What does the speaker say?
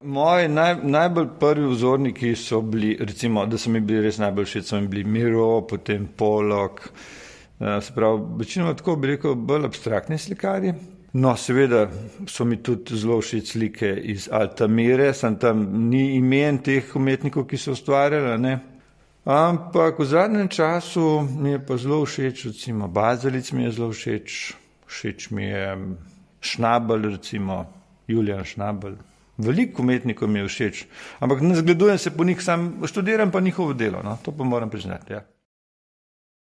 Moji najbolj prvi vzorniki so bili, recimo, da so mi bili res najbolj všeč, so mi bili Miro, potem Pollock, se pravi, večinoma tako bi rekel, bolj abstraktni slikarji. No, seveda so mi tudi zelo všeč slike iz Altamire, sem tam ni imen teh umetnikov, ki so ustvarjali, ne. Ampak v zadnjem času mi je pa zelo všeč, recimo Bazelic mi je zelo všeč, všeč mi je Schnabel, recimo Julian Schnabel. Veliko umetnikov mi je všeč, ampak ne zgledujem se po njih, sam študiram pa njihovo delo, no, to pa moram priznati, ja.